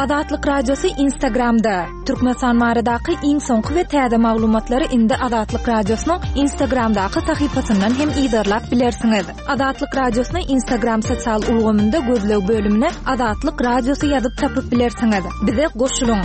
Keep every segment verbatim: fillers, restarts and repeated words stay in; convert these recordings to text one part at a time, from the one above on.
Azatlyk Radiosy Instagramda. Türkmenistan baradaky iň soňky we täze maglumatlary indi Azatlyk Radiosynyň Instagramdaky sahypasyndan hem yzarlap bilersiňiz. Azatlyk Radiosyny Instagram sosial ulgamynda gözleg bölümine Azatlyk Radiosy ýazyp tapyp bilersiňiz. Bize goşulyň.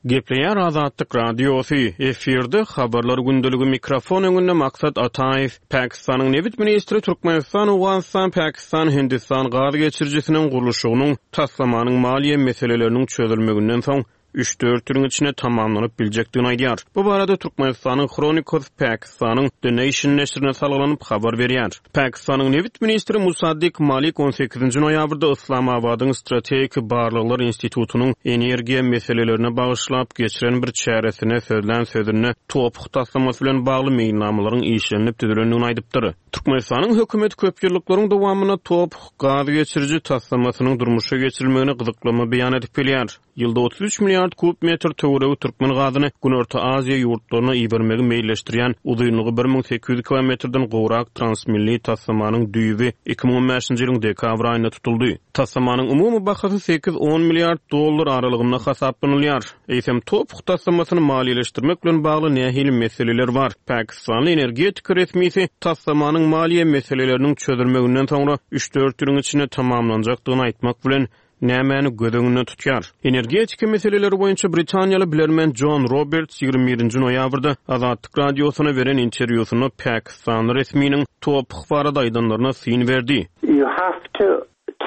Gepleýär Azatlyk Radiosy, efirde habarlar gündeligi mikrofon öňünde Maksat Ataýew. Pakistanyň nebit ministri Türkmenistan, Owganystan, Pakistan, Hindistan gaz geçirijisiniň gurluşygynyň taslamanyň maliýe meseleleriniň çözülmeginden soň üç-dört ýylyň içinde tamamlanyp biljekdigini aýdýar. Bu barada Türkmenistanyň Chronicles Pakistanyň The Nation neşirine salgylanyp habar berýär. Pakistanyň nebit ministri Musaddik Malik on sekizinji noýabrda Islamabadyň Strategik Barlaglar Institutynyň energiýa meselelerine bagyşlap geçiren bir çäresine sözlän sözünde TOPH taslamasy bilen bagly meýilnamalaryň işlenip düzülendigini aýdypdyr. Türkmenistanyň hökümeti köp ýyllyklaryň dowamynda TOPH gaz geçiriji taslamasynyň durmuşa geçirilmegine gyzyklama beýan edip gelýär. Ýylda otuz üç milliard kub metr töweregi türkmen gazyny Günorta Aziýa ýurtlaryna ibermegi meýilleşdirýän uzynlygy bir müň sekiz ýüz kilometrden gowrak transmilli taslamanyň düýbi iki müň on bäşinji ýylyň dekabr aýynda tutuldy. Taslamanyň umumy bahasy sekiz on milliard dollar aralygynda hasaplanylýar. Eýsem TOPH taslamasyny maliýeleşdirmek bilen bagly nähili meseleler bar? Pakistanly energetika resmisi taslamanyň maliýe meseleleriniň çözülmeginden soňra üç-dört ýylyň içinde tamamlanjakdygyny aýtmak bilen nämäni göz öňünde tutýar? Energetika meseleleri boýunça Britaniýaly bilermen John Roberts ýigrimi birinji noýabrda Azatlyk Radiosyna beren interwýusynda Pakistanly resminiň TOPH barada aýdanlaryna syn berdi. You have to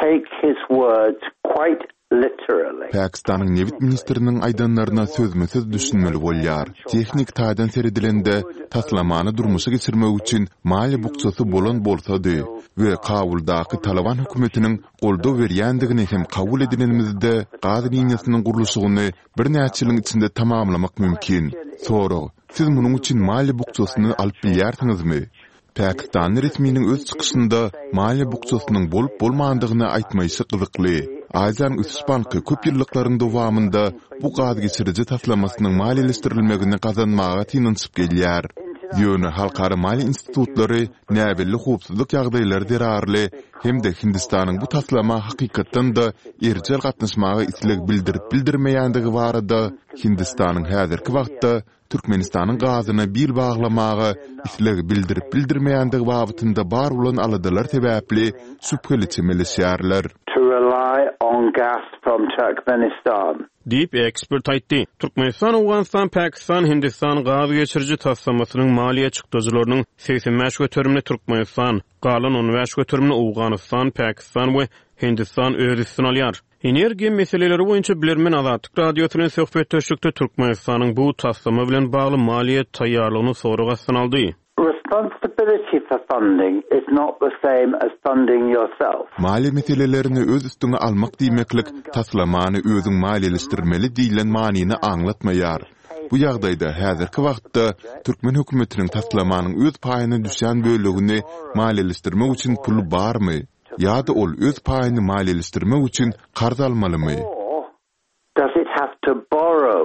take his words quite literally. Pakistanyň nebit ministriniň aýdanlaryna sözme-söz düşünmeli bolýar. Tehnik taýdan seredilende taslamany durmuşa geçirmek üçin maliýe bukjasy bolan bolsady we Kabuldaky Taliban hökümetiniň goldaw berýändigini hem kabul edilenimizde gaz liniýasynyň gurluşygyny birnäçe ýylyň içinde tamamlamak mümkin. Sorag, siz munuň üçin maliýe bukjasyny alyp bilýärsiňizmi? Pakistanly resminiň öz çykyşynda maliýe bukjasynyň bolup bolmandygyny aýtmaýşy gyzykly. Aziýanyň Ösüş Banky köp ýyllyklaryň dowamynda bu gaz geçiriji taslamasynyň maliýeleşdirilmegini gazanmaga synanyşyp gelýär. Ýöne halkara maliýe institutlary näbelli howpsuzlyk ýagdaýlary zerarly hem-de Hindistanyň bu taslama hakykatdan-da erjel gatnaşmaga isleg bildirip bildirmeýändigi barada Hindistanyň häzirki wagtda Türkmenistanyň gazyna bil baglamaga isleg bildirip bildirmeýändigi babatynda bar bolan aladalar sebäpli şübheli çemeleşýärler. To rely on gas from Turkmenistan. Diýip ekspert aýtdy. Türkmenistan, Owganystan, Pakistan, Hindistan gaz geçiriji taslamasynyň maliýe çykdajylarynyň segsen bäş göterimini Türkmenistan, galan on bäş göterimini Owganystan, Pakistan we Hindistan öz üstüne alýar. Energiýa meseleleri boýunça bilermen Azatlyk Radiosy bilen söhbetdeşlikde Türkmenistanyň bu taslama bilen bagly maliýe taýýarlygyny sorag astyna aldy. Responsibility for funding is not the same as funding yourself. Maliýe meselelerini öz üstüňe almak diýmeklik taslamany özüň maliýeleşdirmeli diýlen manyny aňlatmaýar. Bu ýagdaýda häzirki wagtda türkmen hökümetiniň taslamanyň öz paýyna düşýän bölegini maliýeleşdirmek üçin puly barmy? Ýa-da ol öz paýyny maliýeleşdirmek üçin karz almalymy? Or does it have to borrow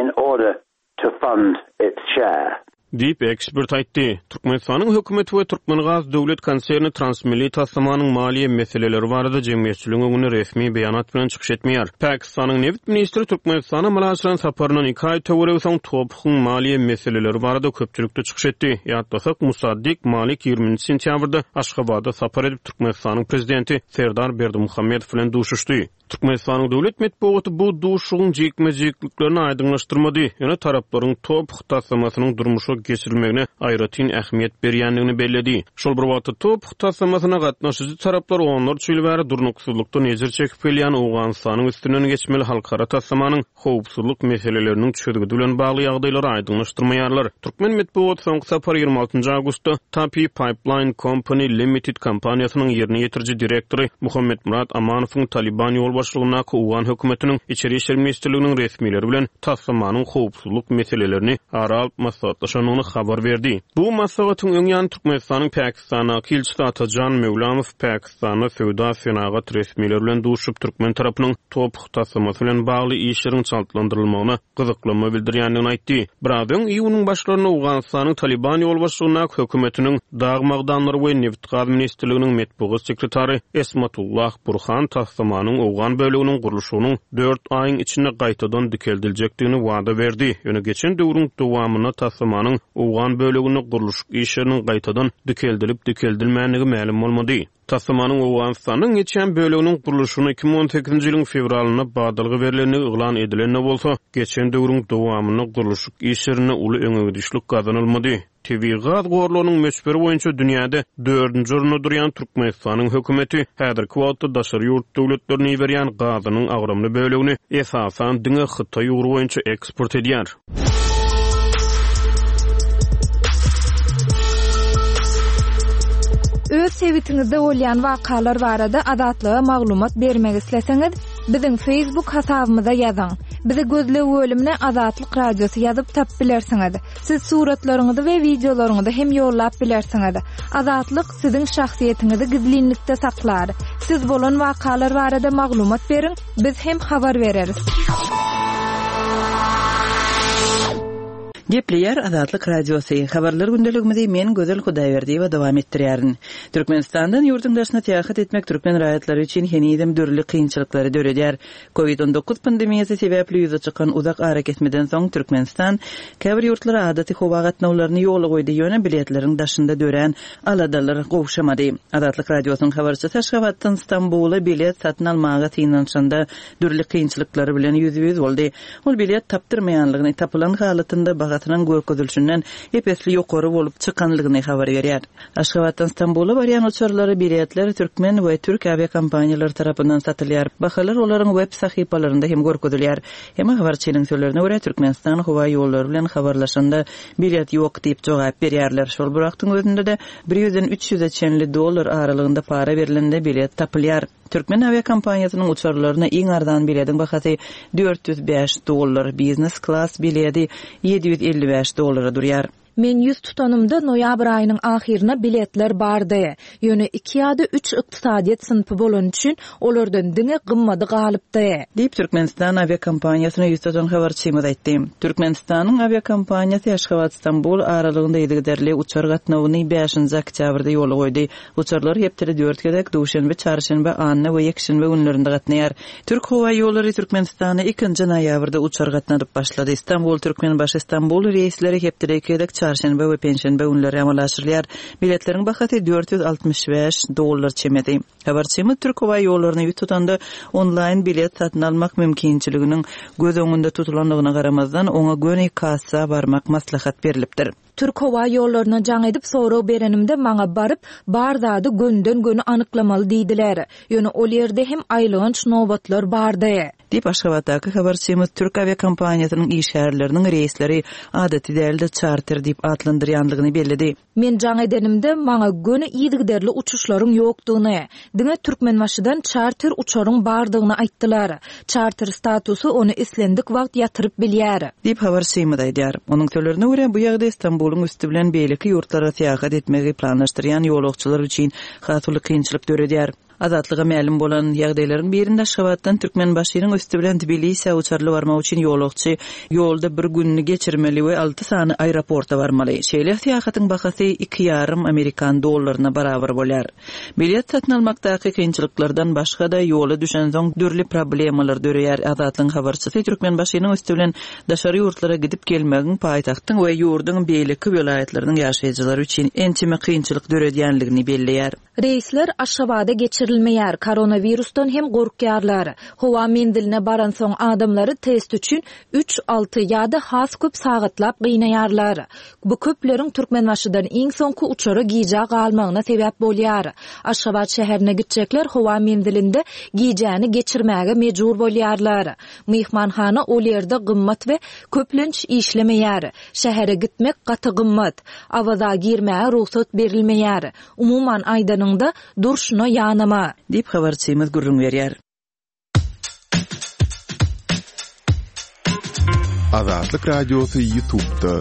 in order to fund its share? Diýip ekspert aýtdy. Türkmenistanyň hökümeti we Türkmengaz döwlet konserni transmilli taslamanyň maliýe meseleleri barada jemgyýetçiligiň öňünde resmi beýanat bilen çykyş etmeýär. Pakistanyň nebit ministri Türkmenistana amala aşyran saparyndan iki aý töweregi soň TOPH-yň maliýe meseleleri barada köpçülikde çykyş etdi. Ýatlasak, Musaddik Malik ýigriminji sentýabrda Aşgabada sapar edip Türkmenistanyň prezidenti Serdar Berdimuhamedow bilen duşuşdy. Türkmenistanyň döwlet metbugaty bu duşuşygyň jikme-jikliklerini aýdyňlaşdyrmady. Ýöne taraplaryň TOPH taslamasynyň durmuşa geçirilmegine aýratyn ähmiýet berýändigini belledi. Şol bir wagtda TOPH taslamasyna gatnaşyjy taraplar onlarça ýyl bäri durnuksyzlykdan ejir çekip gelýän Owganystanyň üstünden geçmeli halkara taslamanyň howpsuzlyk meseleleriniň çözgüdi bilen bagly ýagdaýlary aýdyňlaşdyrmaýarlar. Türkmen metbugaty soňky sapar ýigrimi altynjy awgustda Tapi Pipeline Company Limited kompaniýasynyň ýerine ýetiriji direktory Muhammet Murat Amanowyň Taliban ýolbaşçylygyndaky Owgan hökümetiniň Içeri İşler Ministrliginiň resmileri bilen taslamanyň howpsuzlyk meselelerini ara alyp maslahatlaşandygyny başlandygyny habar berdi. Bu maslahatyň öň ýany Türkmenistanyň Pakistandaky ilçisi Atajan Möwlamow Pakistanda söwda senagat resmileri bilen duşup türkmen tarapynyň TOPH taslamasy bilen bagly işleriň çaltlandyrylmagyna gyzyklanma bildirýändigini aýtdy. Biraz öň iýunyň başlarynda Owganystanyň Taliban ýolbaşçylygyndaky hökümetiniň dag magdanlary we nebit-gaz ministrliginiň metbugat sekretary Esmatullah Burhan taslamanyň Owgan bölüginiň gurluşygynyň dört aýyň içinde gaýtadan dikeldiljekdigini wada berdi. Ýöne geçen döwrüň dowamynda taslamanyň Owgan bölüginde gurluşyk işleriniň gaýtadan dikeldilip dikeldilmändigi mälim bolmady. Taslamanyň Owganystanyň geçen bölüginiň gurluşygyna iki müň on sekizinji ýylyň fewralynda badalga berilendigi yglan edilende bolsa, geçen döwrüň dowamynda gurluşyk işlerinde uly öňegidişlik gazanylmady. Tebigy gaz gorlarynyň möçberi boýunça dünýäde dördünji orunda durýan Türkmenistanyň hökümeti häzirki wagtda daşary ýurt döwletlerine iberýän gazynyň agramly bölegini esasan diňe Hytaý ugry boýunça eksport edýär. Öz sebitiňizde bolýan wakalar barada Azatlyga maglumat bermek isleseňiz, biziň Facebook hasabymyza ýazyň. Bizi gözleg bölümine Azatlyk Radiosy ýazyp tap bilersiňiz. Siz suratlaryňyzy we wideolaryňyzy hem ýollap bilersiňiz. Azatlyk siziň şahsyýetiňizi gizlinlikde saklar. Siz bolan wakalar barada maglumat beriň, biz hem habar bereris. Gepleýär Azatlyk Radiosy. Habarlar gündeligimizi men Gözel Hudaýberdiýewa dowam etdirýärin. Türkmenistandan ýurduň daşyna syýahat etmek türkmen raýatlary üçin henizem dürli kynçylyklary döredýär. Covid on dokuz pandemiýasy sebäpli ýüze çykan uzak arakesmeden soň Türkmenistan käbir ýurtlara adaty howa gatnawlaryny ýola goýdy, ýöne biletleriň daşynda dörän aladalar gowşamady. Azatlyk Radiosynyň habarçysy Aşgabatdan Stambula bilet satyn almaga synanyşanda dürli kynçylyklary bilen ýüzbe-ýüz boldy. Ol bilet tapdyrmaýanlygyny tapylan halatynda bahasynyň görkezilişinden epesli ýokary bolup çykanlygyny habar berýär. Aşgabatdan Stambula barýan uçarlary biletler türkmen we türk awiakompaniýalary tarapyndan satylýar. Bahalar olaryň web sahypalarynda hem görkezilýär. Hem habarçynyň sözlerine görä Türkmenistan howa ýollary bilen habarlaşanda bilet ýok diýip jogap berýärler. Şol bir wagtyň özünde de bir ýüzden üç ýüze çenli dollar aralygynda para berilende bilet tapylýar. Türkmen awiakompaniýasynyň uçarlaryna iň arzan biletiň bahasy dört ýüz bäş dollar, biznes klas bileti ýedi ýüz elli bäş dollara durýar. Men ýüz tutanymda noýabr aýynyň ahyryna biletler bardy. Ýöne iki ýa-da üç ykdysadyýet synpy bolan üçin olardan diňe gymmady galypdy. Diýip Türkmenistan awiakompaniýasyna ýüz tutan habarçymyz aýtdy. Türkmenistanyň awiakompaniýasy Aşgabat Stambul aralygynda yzygiderli uçar gatnawyny bäşinji oktýabrda ýola goýdy. Uçarlar hepdede dört gezek duşenbe, çarşenbe, anna we ýekşenbe günlerinde gatnaýar. Türk howa ýollary Türkmenistana ikinji noýabrda uçar gatnadyp başlady. Stambul Türkmenbaşy Stambul reýsleri hepdede iki gezek çarşenbe we penşenbe günleri amala aşyrylýar. Biletleriň bahasy dört ýüz altmyş bäş dollar çemesi. Habarçymyz Türk howa ýollaryny ýüz tutanda onlaýn bilet satyn almak mümkinçiliginiň göz öňünde tutulandygyna garamazdan oňa göni kassa barmak maslahat berilipdir. Türk howa ýollaryna jaň edip sorag berenimde maňa baryp bar zady gönden-göni anyklamaly diýdiler. Ýöne ol ýerde hem aýylganç nobatlar bardy. Diýip Aşgabatdaky habarçymyz Türk awiakompaniýasynyň işgärleriniň reýsleri adaty dälde çarter diýip atlandyrýanlygyny belledi. Men jaň edenimde maňa göni yzygiderli uçuşlaryň ýokdugyny, diňe Türkmenbaşydan çarter uçaryň bardygyny aýtdylar. Çarter statusy ony islendik wagt ýatyryp bilýär. Diýip habarçymyz aýdýar. Onuň sözlerine görä bu ýagdaý Stambulyň üsti bilen beýleki ýurtlara syýahat etmegi planlaşdyrýan ýolagçylar üçin has uly kynçylyk döredýär. Azatlyga mälim bolan ýagdaýlaryň birinde Aşgabatdan Türkmenbaşynyň üsti bilen Tbilisä uçarly barmak üçin ýolagçy ýolda bir gününi geçirmeli we alty sany aeroporta barmaly. Şeýle syýahatyň bahasy iki ýarym amerikan dollaryna barabar bolýar. Bilet satyn almakdaky kynçylyklardan başga da ýola düşen soň dürli problemalar döreýär. Azatlygyň habarçysy Türkmenbaşynyň üsti bilen daşary ýurtlara gidip gelmegiň paýtagtyň we ýurduň beýleki welaýatlarynyň ýaşaýjylary üçin ençeme kynçylyk döredýänligini belleýär. Reýsler Aşgabada geçirilmeýär, koronavirusdan hem gorkýarlar. Howa menziline baran soň adamlary test üçin üç, alty ýa-da has köp sagatlap gynaýarlar. Bu köpleriň Türkmenbaşydan iň soňky uçara gijä galmagyna sebäp bolýar. Aşgabat şäherine gitjekler howa menzilinde gijäni geçirmäge mejbur bolýarlar. Myhmanhana ol ýerde gymmat we köplenç işlemeýär. Şähere gitmek gaty gymmat. Awaza girmäge rugsat berilmeýär. Umuman aýdanyňda durşuna ýanama. Diýip habarçymyz gürrüň berýär. Azatlyk Radiosy YouTube'da.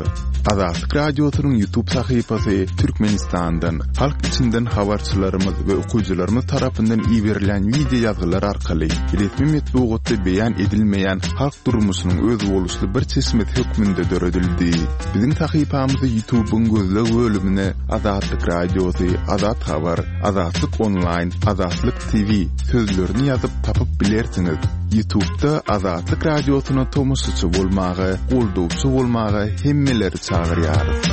Azatlyk Radiosynyň YouTube sahypasy Türkmenistandan, halk içinden habarçylarymyz we okyjylarymyz tarapyndan iberilýän wideo ýazgylar arkaly resmi metbugatda beýan edilmeýän halk durmuşynyň özboluşly bir çeşmesi hökmünde döredildi. Biziň sahypamyzy YouTube'yň gözleg bölümine Azatlyk Radiosy, Azat Habar, Azatlyk Online, Azatlyk T V sözlerini ýazyp tapyp bilersiňiz. YouTube'da Azatlyk Radiosyna tomaşaçy bolmaga, goldawçy bolmaga hemmeleri çagyrýarys.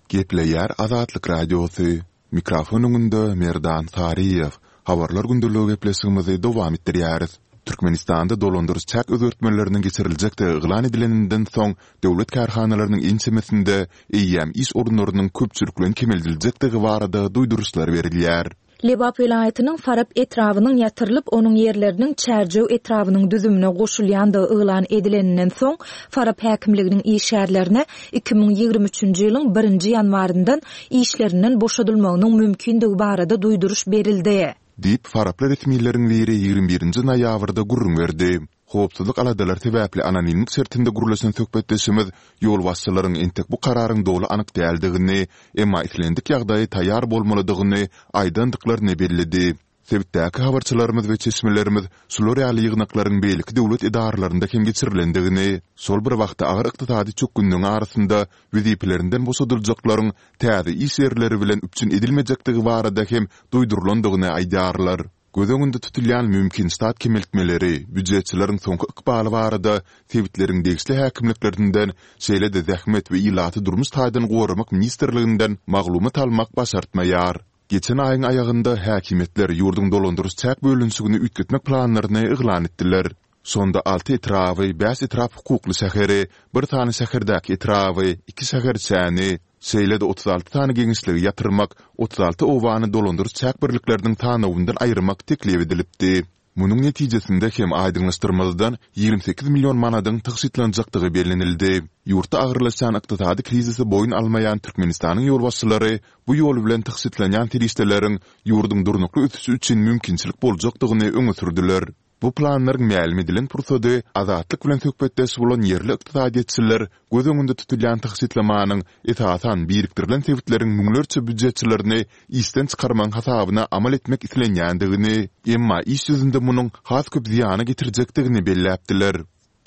Gepleýär Azatlyk Radiosy. Mikrofon öňünde Merdan Saryýew. Habarlar gündeligi gepleşigimizi dowam etdirýäris. Türkmenistanda dolandyryş çäk özgertmeleriniň geçiriljekdigi yglan edileninden soň döwlet kärhanalarynyň ençemesinde eýýäm iş orunlarynyň köpçülikleýin kemeldiljekdigi barada duýduryşlar berilýär. Lebap welaýatynyň Farap etrabynyň ýatyrylyp, onuň ýerleriniň Çärjew etrabynyň düzümine goşulýandygy yglan edileninden soň, Farap häkimliginiň işgärlerine iki müň ýigrimi üçünji ýylyň birinji ýanwaryndan işlerinden boşadylmagynyň mümkindigi barada duýduryş berildi. Diýip, faraply resmileriň biri ýigrimi birinji noýabrda gürrüň berdi. Howpsuzlyk aladalary sebäpli anonimlik şertinde gürleşen söhbetdeşimiz ýolbaşçylaryň entek bu kararyň doly anyk däldigini, emma islendik ýagdaýa taýýar bolmalydygyny aýdandyklaryny belledi. Sebitdäki habarçylarymyz we çeşmelerimiz şular ýaly ýygnaklaryň beýleki döwlet edaralarynda hem geçirilendigini, şol bir wagtda agyr ykdysady çökgünligiň arasynda wezipelerinden boşadyljaklaryň täze iş ýerleri bilen üpjün edilmejekdigi barada hem duýdurylandygyny aýdýarlar. Göz öňünde tutulýan mümkin ştat kemeltmeleri, býujetçileriň soňky ykbaly barada sebitleriň degişli häkimliklerinden, şeýle-de Zähmet we ilaty durmuş taýdan goramak ministrliginden maglumat almak başartmaýar. Geçen aýyň aýagynda häkimiýetler ýurduň dolandyryş çäk bölünişigini üýtgetmek planlaryny yglan etdiler. Şonda alty etraby, bäş etrap hukukly şäheri, bir sany şäherdäki etraby, iki şäherçäni, şeýle-de otuz alty sany geňeşligi ýatyrmak, otuz alty obany dolandyryş çäk birlikleriniň sanawyndan aýyrmak teklip edilipdi. Munuň netijesinde hem aýdyňlaşdyrmazdan ýigrimi sekiz million manadyň tygşytlanjakdygy bellenildi. Ýurtda agyrlaşýan ykdysady krizisi boýun almaýan Türkmenistanyň ýolbaşçylary bu ýol bilen tygşytlanýan serişdeleriň ýurduň durnukly ösüşi üçin mümkinçilik boljakdygyny öňe sürdüler. Bu planlaryň mälim edilen pursady Azatlyk bilen söhbetdeş bolan ýerli ykdysadyýetçiler göz öňünde tutulýan tygşytlamanyň esasan birikdirilen sebitleriň müňlerçe býujetçilerini işden çykarmagyň hasabyna amal etmek islenýändigini, emma iş ýüzünde munuň has köp zyýana getirjekdigini belläpdiler.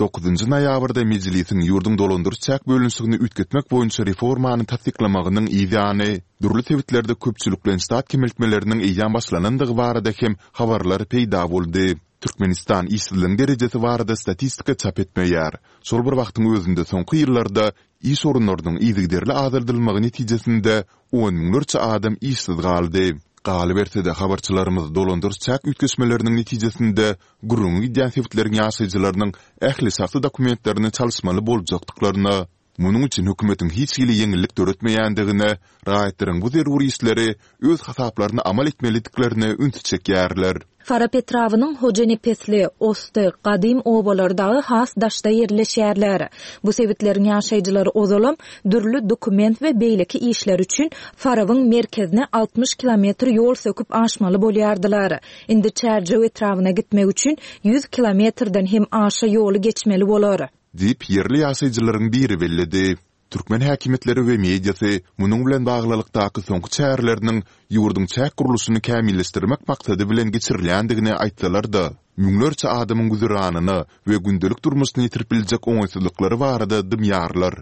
Dokuzynjy noýabrda Mejlisiň ýurduň dolandyryş çäk bölünişigini üýtgetmek boýunça reformany tassyklamagynyň yz ýany, dürli sebitlerde köpçülikleýin ştat kemeltmeleriniň eýýäm başlanandygy barada hem habarlar peýda boldy. Türkmenistan işsizligiň derejesi barada statistika çap etmeýär. Şol bir wagtyň özünde soňky ýyllarda iş orunlarynyň yzygiderli azaldylmagy netijesinde on müňlerçe adam işsiz galdy. Galyberse-de, habarçylarymyz dolandyryş çäk üýtgeşmeleriniň netijesinde gürrüňi gidýän sebitleriň ýaşaýjylarynyň ähli şahsy dokumentlerini çalyşmaly boljakdyklaryna, munuň üçin hökümetiň hiç hili ýeňillik döretmeýändigine, raýatlaryň bu zerur işleri öz hasaplaryna amal etmelidiklerine ünsi çekýärler. Farap etrabynyň Hojanepesli, Osty, Gadym obalary dagy has daşda ýerleşýärler. Bu sebitleriň ýaşaýjylary ozalam dürli dokument we beýleki işler üçin Farabyň merkezine altmyş kilometr ýol söküp aşmaly bolýardylar. Indi Çärjew etrabyna gitmek üçin ýüz kilometrden hem aşa ýoly geçmeli bolar. Diýip, ýerli ýaşaýjylaryň biri belledi. Türkmen häkimiýetleri we mediasy munuň bilen baglylykdaky soňky çäreleriniň ýurduň çäk gurluşyny kämilleşdirmek maksady bilen geçirilýändigini aýtsalar-da, müňlerçe adamyň güzeranyna we gündelik durmuşyna ýetirip biljek oňaýsyzlyklary barada dymýarlar.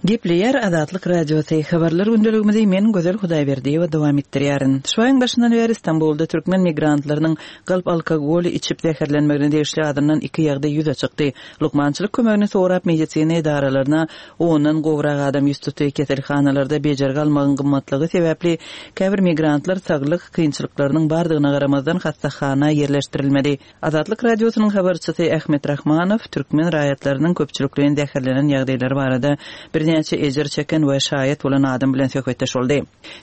Gepleýär Azatlyk Radiosy. Habarlar gündeligimizi men Gözel Hudaýberdiýewa dowam etdirýärin. Şu aýyň başyndan bäri Stambulda türkmen migrantlarynyň galp alkogoly içip zäherlenmegine degişli azyndan iki ýagdaý ýüze çykdy. Lukmançylyk kömegini sorap medisina edaralaryna ondan gowrak adam ýüz tutdy. Keselhanalarda bejergi almagyň gymmatlygy sebäpli käbir migrantlar saglyk kynçylyklarynyň bardygyna garamazdan hassahana ýerleşdirilmedi. Azatlyk Radiosynyň habarçysy Ahmet Rahmanow türkmen raýatlarynyň köpçülikleýin zäherlenen ýagdaýlary barada birnäçe ejir çeken we şaýat bolan adam bilen söhbetdeş boldy.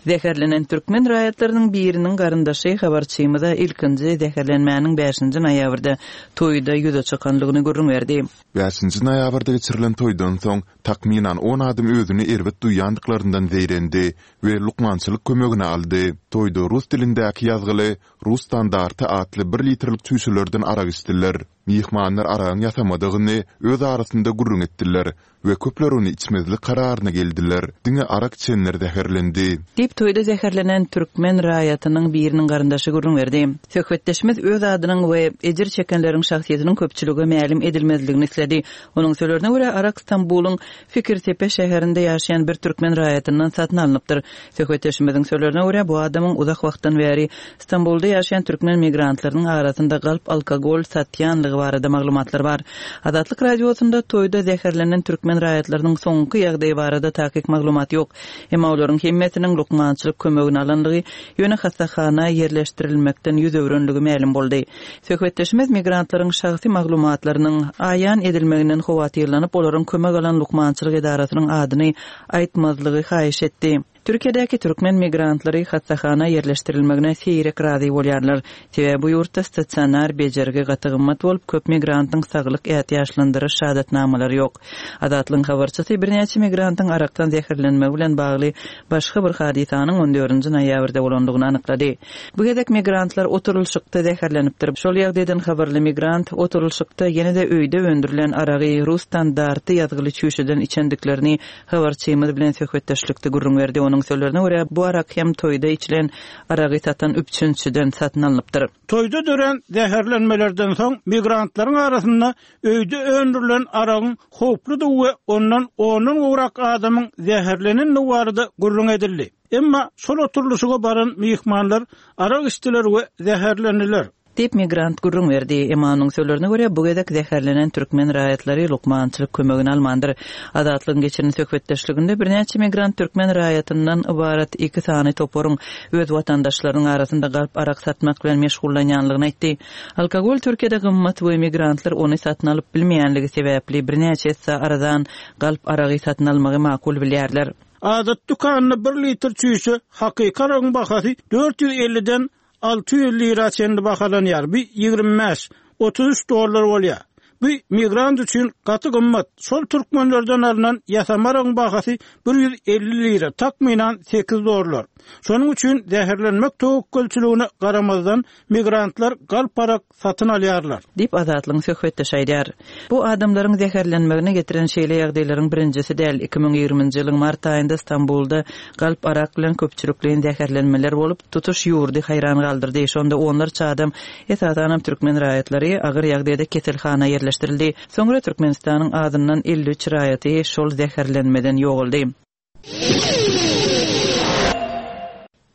Zäherlenen türkmen raýatlarynyň biriniň garyndaşy habarçymyza ilkinji zäherlenmäniň bäşinji noýabrda toýda ýüze çykanlygyny gürrüň berdi. Bäşinji noýabrda geçirilen toýdan soň takmynan on adam özüni erbet duýýandyklaryndan zeýrendi we lukmançylyk kömegini aldy. Toýda rus dilindäki ýazgyly Rus standarty atly bir litrlik çüýşelerden arak içdiler. Myhmanlar aragyň ýasamadygyny öz arasynda gürrüň etdiler we köpler ony içmezlik kararyna geldiler. Diňe arak içenler zäherlendi. Diýip, toýda zäherlenen türkmen raýatynyň biriniň garyndaşy gürrüň berdi. Söhbetdeşimiz öz adynyň we ejir çekenleriň şahsyýetiniň köpçülige mälim edilmezligini isledi. Onuň sözlerine görä, arak Stambulyň Fikirtepe şäherinde ýaşaýan bir türkmen raýatyndan satyn alnypdyr. Söhbetdeşimiziň sözlerine görä, bu adamyň uzak wagtdan bäri Stambulda ýaşaýan türkmen migrantlarynyň arasynda galp alkogol satýanlygy barada maglumatlar bar. Azatlyk Radiosynda toýda zäherlenen türkmen raýatlarynyň soňky ýagdaýy barada takyk maglumat ýok. Emma olaryň hemmesiniň lukmançylyk kömegini alanlygy, ýöne hassahana ýerleşdirilmekden ýüz öwrenligi mälim boldy. Söhbetdeşimiz migrantlaryň şahsy maglumatlarynyň aýan edilmeginden howatyrlanyp, olaryň kömek alan lukmançylyk edarasynyň adyny aýtmazlygy haýyş etdi. Türkiýedäki türkmen migrantlary hassahana ýerleşdirilmegine seýrek razy bolýarlar. Sebäbi bu ýurtda stasionar bejergi gaty gymmat bolup, köp migrantyň saglyk ätiýaçlandyryş şahadatnamalary ýok. Azatlygyň habarçysy birnäçe migrantyň arakdan zäherlenmegi bilen bagly başga bir hadysanyň on dördünji noýabrda bolandygyny anyklady. Bu gezek migrantlar oturylyşykda zäherlenipdir. Şol ýagdaýdan habarly migrant oturylyşykda ýene-de öýde öndürilen aragy rus standarty ýazgyly çüýşeden içendiklerini habarçymyz bilen söhbetdeşlikde gürrüň berdi. Onuň sözlerine görä, bu arak hem toýda içilen aragy satan üpjünçiden satyn alnypdyr. Toýda dörän zäherlenmelerden soň migrantlaryň arasynda öýde öndürilen aragyň howpludygy we ondan ondan gowrak adamyň zäherlenendigi barada gürrüň edildi. Emma şol oturylyşyga baran myhmanlar arak içdiler we zäherlendiler. Diýip migrant gürrüň berdi. Emma onuň sözlerine görä, bu gezek zäherlenen türkmen raýatlary lukmançylyk kömegini almandyr. Azatlygyň geçiren söhbetdeşliginde birnäçe migrant türkmen raýatyndan ybarat iki sany toparyň öz watandaşlarynyň arasynda galp arak satmak bilen meşgullanýanlygyny aýtdy. Alkogol Türkiýede gymmat we migrantlar ony satyn alyp bilmeýänligi sebäpli birnäçe esse arzan galp aragy satyn almagy makul bilýärler. Adat dükanynda bir litr çüýşe hakyky aragyň bahasy dört ýüz elliden alty ýüz lira çenli bahalanýar. Bu ýigrimi bäş, otuz üç dollar bolýar. Bu migrant üçin gaty gymmat. Şol türkmenlerden alynan ýasama aragyň bahasy bir ýüz elli lira, takmynan sekiz dollar. Şonuň üçin zäherlenmek töwekgelçiligine garamazdan migrantlar galp arak satyn alýarlar. Diýip Azatlygyň söhbetdeşi aýdýar. Bu adamlaryň zäherlenmegine getiren şeýle ýagdaýlaryň birinjisi däl. Iki müň ýigriminji ýylyň mart aýynda Stambulda galp arak bilen köpçülikleýin zäherlenmeler bolup, tutuş ýurdy haýran galdyrdy. Şonda onlarça adam, esasanam türkmen raýatlary agyr ýagdaýda keselhana ýerleşdirildi. Soňra Türkmenistanyň adyndan elli üç raýaty şol zäherlenmeden ýogaldy.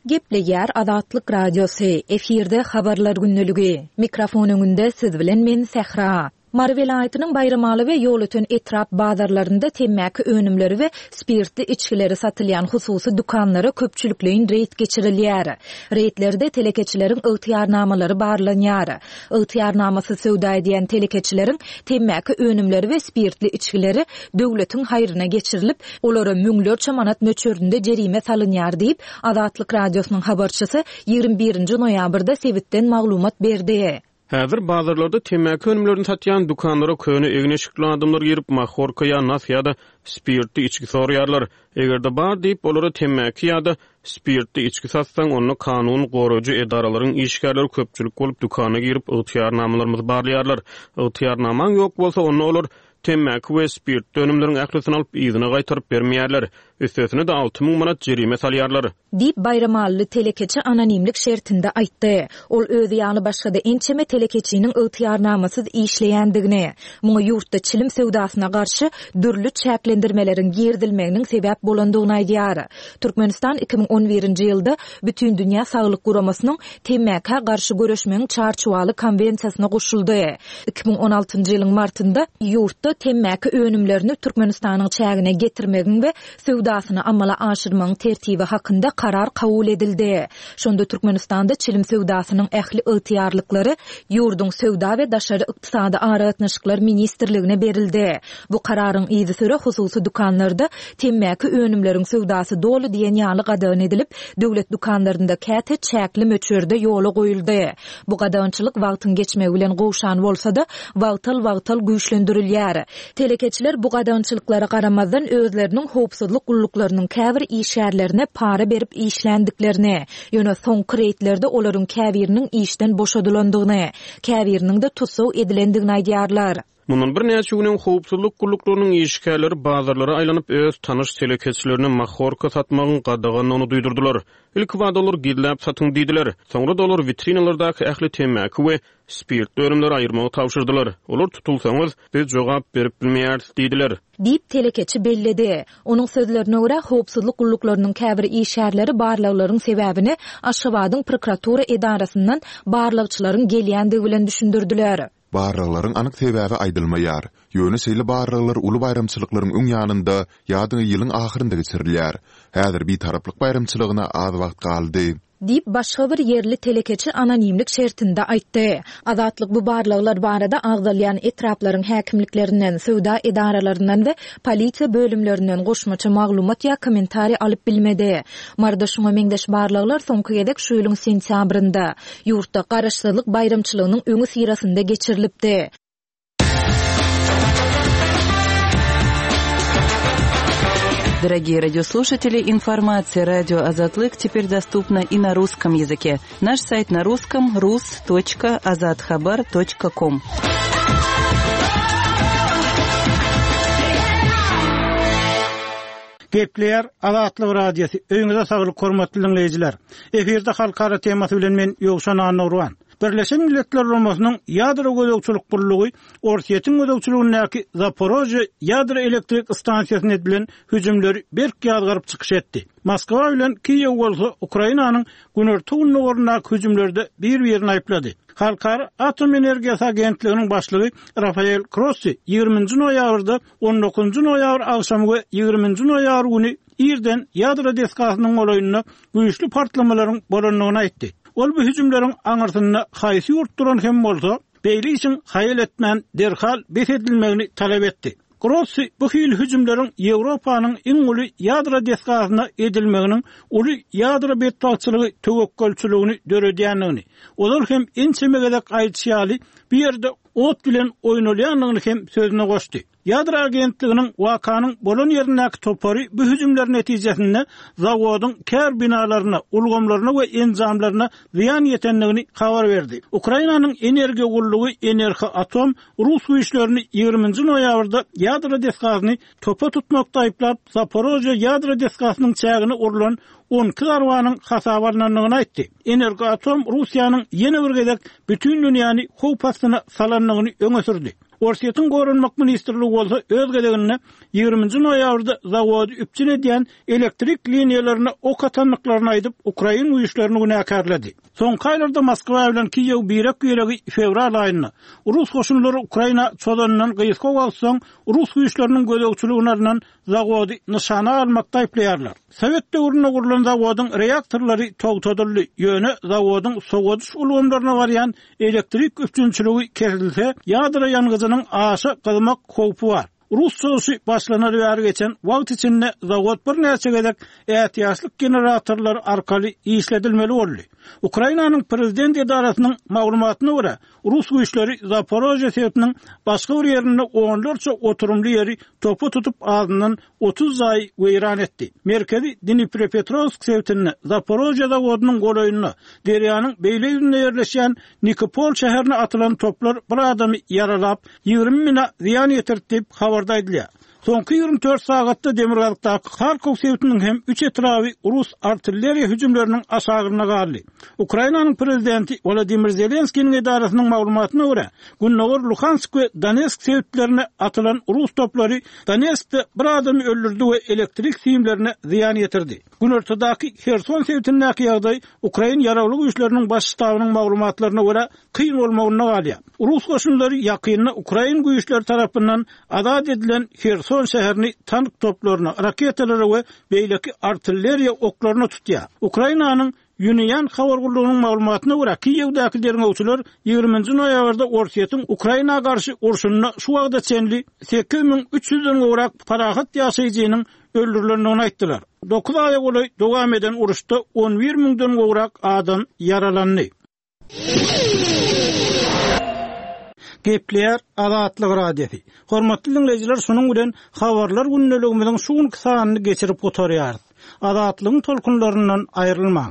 Gepleýär Azatlyk Radiosy, efirde habarlar gündeligi. Mikrofon öňünde siz bilen men Sähra. Mary welaýatynyň Baýramaly we Ýolöten etrap bazarlarynda temmäki önümleri we spirtli içgileri satylýan hususy dükanlara köpçülikleýin reýd geçirilýär. Reýdlerde telekeçileriň ygtyýarnamalary barlanýar. Ygtyýarnamasy söwda edýän telekeçileriň temmäki önümleri we spirtli içgileri döwletiň haýryna geçirilip, olara müňlerçe manat möçberinde jerime salynýar diýip, Azatlyk Radiosynyň habarçysy ýigrimi birinji noýabrda sebitden maglumat berdi. Häzir bazarlarda temmäki önümlerini satýan dükanlara köne egin-eşikli adamlar girip, mahorka ýa nas ýa-da spirtli içgi soraýarlar. Eger-de bar diýip, olara temmäki ýa-da spirtli içgi satsaň, onda kanun goraýjy edaralaryň işgärleri köpçülik bolup dükana girip, ygtyýarnamalarymyzy barlaýarlar. Ygtyýarnamaň ýok bolsa, onda olar temmäki we spirtli önümleriň ählisini alyp, yzyna gaýtaryp bermeýärler. Üstesine de alty müň manat jerime salýarlar. Diýip Baýramalyly telekeçi anonimlik şertinde aýtdy. Ol özi ýaly başga-da ençeme telekeçiniň ygtyýarnamasyz işleýändigini, muňa ýurtda çilim söwdasyna garşy dürli çäklendirmeleriň girizilmeginiň sebäp bolandygyny aýdýar. Türkmenistan iki müň on birinji ýylda Bütindünýä Saglyk Guramasynyň temmäkä garşy göreşmegiň çarçuwaly konwensiýasyna goşuldy. Iki müň on altynjy ýylyň martynda ýurtda temmäki önümlerini Türkmenistanyň çägine getirmegiň we söwdasyny amala aşyrmagyň tertibi hakynda karar kabul edildi. Şonda Türkmenistanda çilim söwdasynyň ähli ygtyýarlyklary ýurduň söwda we daşary ykdysady aragatnaşyklar ministrligine berildi. Bu kararyň yzysüre hususy dükanlarda temmäki önümleriň söwdasy doly diýen ýaly gadagan edilip, döwlet dükanlarynda käte çäkli möçberde ýola goýuldy. Bu gadagançylyk wagtyň geçmegi bilen gowşan bolsa-da, wagtal-wagtal güýçlendirilýär. aýtdylar. Telekeçiler bu gadagançylyklara garamazdan özleriniň howpsuzlyk gulluklarynyň käbir işgärlerine para berip işländiklerini, ýöne soňky reýdlerde olaryň käbiriniň işden boşadylandygyny, käbiriniň-de tussag edilendigini aýdýarlar. Mundan birnäçe gün öň howpsuzlyk gulluklarynyň işgärleri bazarlara aýlanyp öz tanyş telekeçilerine mahorka satmagyň gadagandygyny duýdurdylar. Ilkibada olar gizläp satyň diýdiler. Soňra-da olar witrinalardaky ähli temmäki we spirtli önümleri aýyrmagy tabşyrdylar. Olar tutulsaňyz, biz jogap berip bilmeýäris diýdiler. Diýip, telekeçi belledi. Onuň sözlerine görä, howpsuzlyk gulluklarynyň käbir işgärleri barlaglaryň sebäbini Aşgabadyň prokuratura edarasyndan barlagçylaryň gelýändigi bilen düşündirdiler. Barlaglaryň anyk sebäbi aýdylmaýar. Ýöne şeýle barlaglar uly baýramçylyklaryň öň ýanynda ýa-da ýylyň ahyrynda geçirilýär. Häzir Bitaraplyk baýramçylygyna az wagt galdy. Diýip, başga bir ýerli telekeçi anonimlik şertinde aýtdy. Azatlyk bu barlaglar barada agzalýan etraplaryň häkimliklerinden, söwda edaralaryndan we polisiýa bölümlerinden goşmaça maglumat ýa kommentariý alyp bilmedi. Maryda şuňa meňzeş barlaglar soňky gezek şu ýylyň sentýabrynda, ýurtda Garaşsyzlyk baýramçylygynyň öňüsyrasynda geçirilipdi. Дорогие радиослушатели, информация радио Азатлык теперь доступна и на русском языке. Наш сайт на русском rus.azathabar.com. Gepleýär Azatlyk Radiosy. Öýüňize saglyk hormatly diňleýjiler. Efirde halkara temasy bilen men Ýowşan Annurwan. Birleşen Milletler Guramasynyň ýadro gözegçilik gullugy Orsýetiň gözegçiligindäki Zaporožýe ýadro elektrik stansiýasyna edilen hüjümleri berk ýazgaryp çykyş etdi. Moskwa bilen Kiýew bolsa Ukrainanyň günorta-gündogaryndaky hüjümlerde bir-birini aýyplady. Halkara Atom Energiýasy Agentliginiň başlygy Rafael Grossi ýigriminji noýabrda on dokuzynjy noýabr agşamy we ýigriminji noýabr güni irden ýadro desgasynyň golaýynda güýçli partlamalaryň bolandygyny aýtdy. Ol bu hüjümleriň aňyrsynda haýsy ýurt duran hem bolsa, beýle işiň haýal etmän derhal bes edilmegini talap etdi. Grossi bu hil hüjümleriň Ýewropanyň iň uly ýadro desgasyna edilmeginiň uly ýadro betbagtçylygy töwekgelçiligini döredýändigini, olar hem ençeme gezek aýdyşy ýaly bu ýerde ot bilen oýnalýandygyny hem sözüne goşdy. Ýadro agentliginiň wakanyň bolan ýerindäki topary bu hüjümler netijesinde zawodyň kär binalaryna, ulgamlaryna we enjamlaryna zyýan ýetendigini habar berdi. Ukrainanyň energiýa gullugy Energoatom rus güýçlerini ýigriminji noýabrda ýadro desgasyny topa tutmakda aýyplap, Zaporožýe ýadro desgasynyň çägine urlan on iki zarbanyň hasaba alnandygyny aýtdy. Energoatom Russiýanyň ýene bir gezek bütün dünýäni howp astyna salandygyny öňe sürdi. Orsýetiň Goranmak ministrligi bolsa öz gezeginde ýigriminji noýabrda zawody üpjün edýän elektrik liniýalaryna ok atandyklaryny aýdyp, Ukrain güýçlerini günäkärledi. Soňky aýlarda Moskwa bilen Kiýew birek-biregi fewral aýynda Rus goşunlary Ukraina çozanyndan gysga wagt soň Rus güýçleriniň gözegçiligine alnan zawody nyşana almakda aýyplaýarlar. Sowet döwründe gurlan zawodyň reaktorlary togtadyldy, ýöne zawodyň sowadyş ulgamlaryna barýan elektrik üpjünçiligi kesilse, ýadro ýangyjynyň aşa gyzmak howpy bar. Rus çozuşy başlanaly bäri geçen wagt içinde zawod birnäçe gezek ätiýaçlyk generatorlary arkaly işledilmeli boldy. Ukrainanyň prezident edarasynyň maglumatyna görä, Rus güýçleri Zaporožýe sebitiniň başga bir ýerinde onlarça oturymly ýeri topa tutup azyndan otuz jaý weýran etdi. Merkezi Dnipropetrovsk sebitinde Zaporožýe zawodynyň golaýynda derýanyň beýle ýüzünde ýerleşýän Nikopol şäherine atylan toplar bir adamy ýaralap, ýigrimi bina zyýan ýetirdi diýip habarda aýdylýar. Soňky ýigrimi dört sagatda Demirgazykdaky Harkov sebitiniň hem üç etraby Rus artilleriýa hüjümleriniň aşagynda galdy. Ukrainanyň prezidenti Wladimir Zelenskiniň edarasynyň maglumatyna görä, Gündogar Luhansk we Donetsk sebitlerine atylan Rus toplary Donetskde bir adamy öldürdi we elektrik simlerine zyýan ýetirdi. Günortadaky Herson sebitindäki ýagdaý Ukrain ýaragly güýçleriniň baş ştabynyň maglumatlaryna görä kyn bolmagynda galýar. Rus goşunlary ýakynda Ukrain güýçleri tarapyndan azat edilen Herson şäherini tank toplaryna, raketalara we beýleki artilleriýa oklaryna tutýar. Ukrainanyň Ýunian habar gullugynyň maglumatyna görä, Kiýewdäki derňewçiler ýigriminji noýabrda Orsýetiň Ukraina garşy urşunda şu wagta çenli sekiz müň üç ýüzden gowrak parahat ýaşaýjynyň öldürilendigini aýtdylar. Dokuz aýa golaý dowam eden uruşda on bir müňden gowrak adam ýaralandy. Gepleýär Azatlyk Radiosy. Hormatly dinleýjiler, şunuň bilen habarlar gündeligimiziň şu günki sanyny geçirip gutarýarys. Azatlygyň tolkunlaryndan aýrylmaň.